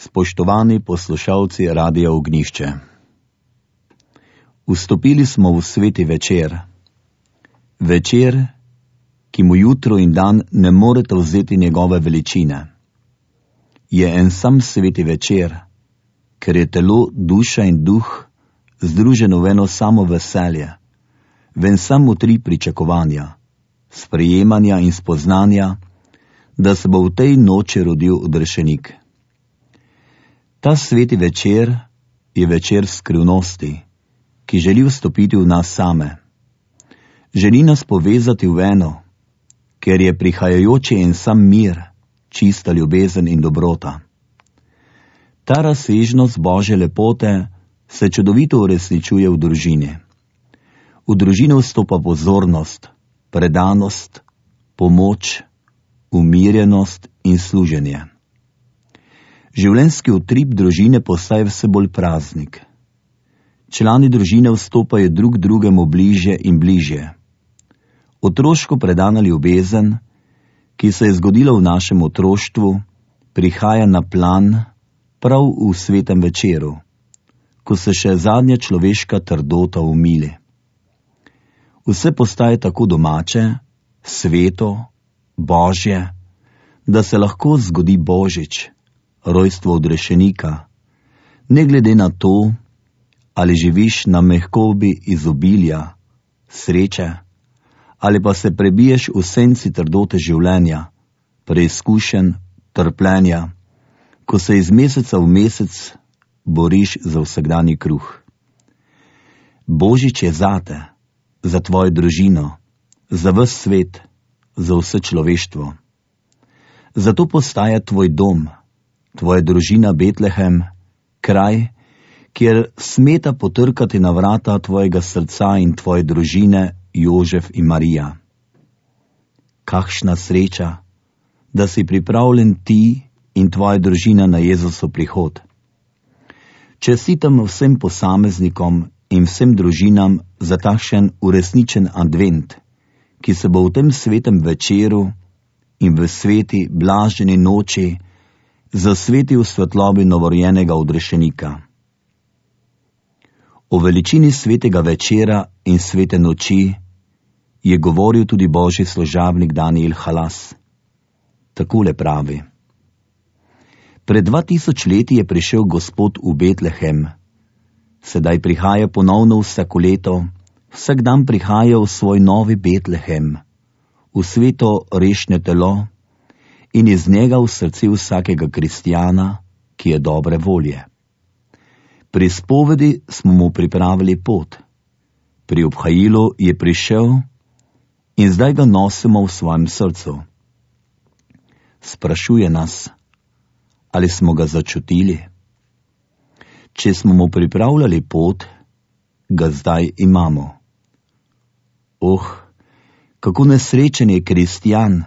Spoštovani poslušalci Radia Ognjišče. Vstopili smo v sveti večer. Večer, ki mu jutro in dan ne morete vzeti njegove veličine. Je en sam sveti večer, ker je telo, duša in duh združeno v eno samo veselje, v en sam utrip pričakovanja, sprejemanja in spoznanja, da se bo v tej noči rodil odrešenik. Ta sveti večer je večer skrivnosti, ki želi vstopiti v nas same. Želi nas povezati v eno, ker je prihajajoči en sam mir, čista ljubezen in dobrota. Ta razsežnost Božje lepote se čudovito uresničuje v družini. V družino vstopa pozornost, predanost, pomoč, umirjenost in služenje. Življenjski utrip družine postaje vse bolj praznik. Člani družine vstopajo drug drugemu bližje in bližje. Otroško predana ljubezen, ki se je zgodila v našem otroštvu, prihaja na plan prav v svetem večeru, ko se še zadnja človeška trdota umili. Vse postaje tako domače, sveto, Božje, da se lahko zgodi Božič, rojstvo odrešenika, ne glede na to, ali živiš na mehkobi izobilja, sreče, ali pa se prebiješ v senci trdote življenja, preizkušenj, trpljenja, ko se iz meseca v mesec boriš za vsakdanji kruh. Božič je zate, za tvojo družino, za ves svet, za vse človeštvo. Zato postaja tvoj dom, tvoja družina Betlehem, kraj, kjer smeta potrkati na vrata tvojega srca in tvoje družine Jožef in Marija. Kakšna sreča, da si pripravljen ti in tvoja družina na Jezusov prihod. Čestitam vsem posameznikom in vsem družinam za takšen uresničen advent, ki se bo v tem svetem večeru in v sveti blaženi noči zasvetil svetlobi novorojenega odrešenika. O veličini svetega večera in svete noči je govoril tudi božji služabnik Daniel Halas. Takole pravi: Pred 2000 leti je prišel Gospod v Betlehem. Sedaj prihaja ponovno vsako leto, vsak dan prihaja v svoj novi Betlehem, v sveto rešne telo in iz njega v srce vsakega kristjana, ki je dobre volje. Pri spovedi smo mu pripravili pot. Pri obhajilu je prišel in zdaj ga nosimo v svojem srcu. Sprašuje nas, ali smo ga začutili. Če smo mu pripravljali pot, ga zdaj imamo. Kako nesrečen je kristjan,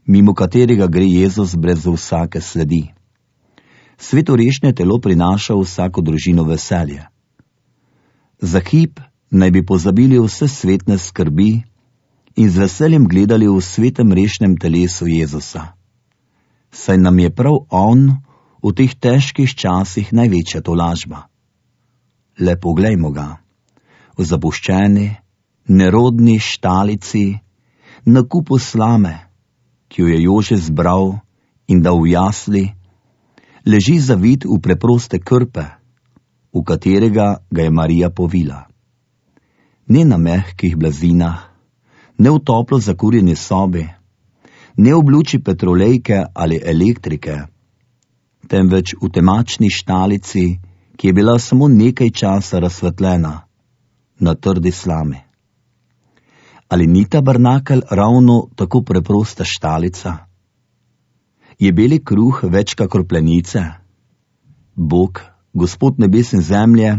mimo katerega gre Jezus brez vsake sledi. Svetorešne telo prinaša vsako družino veselje. Za hip naj bi pozabili vse svetne skrbi in z veseljem gledali v svetem rešnem telesu Jezusa. Saj nam je prav on v teh težkih časih največja tolažba. Le poglejmo ga, v zapuščeni, nerodni štalici, na kupu slame, ki jo je Jože zbral in dal v jasli, leži zavit v preproste krpe, v katerega ga je Marija povila. Ne na mehkih blazinah, ne v toplo zakurjeni sobi, ne v luči petrolejke ali elektrike, temveč v temačni štalici, ki je bila samo nekaj časa razsvetljena, na trdi slami. Ali ni tabernakelj ravno tako preprosta štalica? Je beli kruh več kakor plenice? Bog, Gospod nebes in zemlje,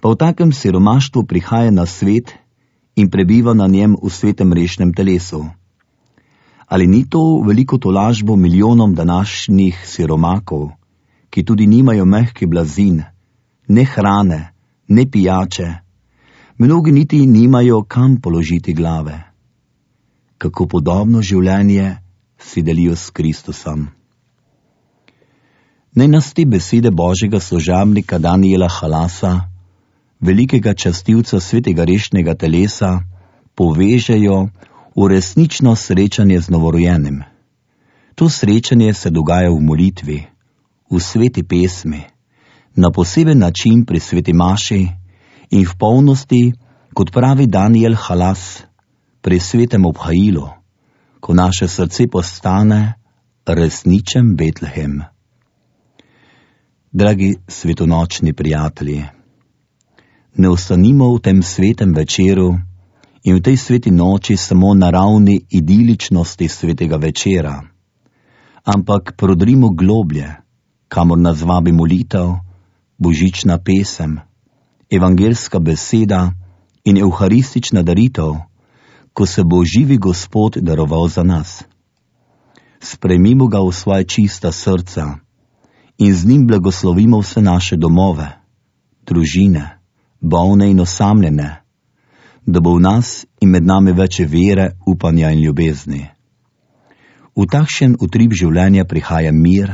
pa v takem siromaštvu prihaja na svet in prebiva na njem v svetem rešnem telesu. Ali ni to veliko tolažbo milijonom današnjih siromakov, ki tudi nimajo mehkih blazin, ne hrane, ne pijače, mnogi niti nimajo kam položiti glave? Kako podobno življenje si delijo s Kristusom. Naj nas te besede Božjega služabnika Daniela Halasa, velikega častilca svetega rešnega telesa, povežejo v resnično srečanje z novorojenim. To srečanje se dogaja v molitvi, v sveti pesmi, na poseben način pri sveti maši in v polnosti, kot pravi Daniel Halas, pri svetem obhajilu, ko naše srce postane resničen Betlehem. Dragi svetonočni prijatelji, ne ostanimo v tem svetem večeru in v tej sveti noči samo na ravni idiličnosti svetega večera, ampak prodrimo globlje, kamor nas vabi molitev, božična pesem, evangelska beseda in evharistična daritev, ko se bo živi Gospod daroval za nas. Sprejmimo ga v svoje čista srca in z njim blagoslovimo vse naše domove, družine, bolne in osamljene, da bo v nas in med nami več vere, upanja in ljubezni. V takšen utrip življenja prihaja mir,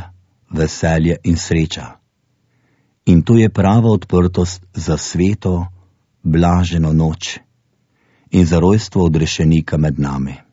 veselje in sreča. In to je prava odprtost za sveto, blaženo noč in za rojstvo odrešenika med nami.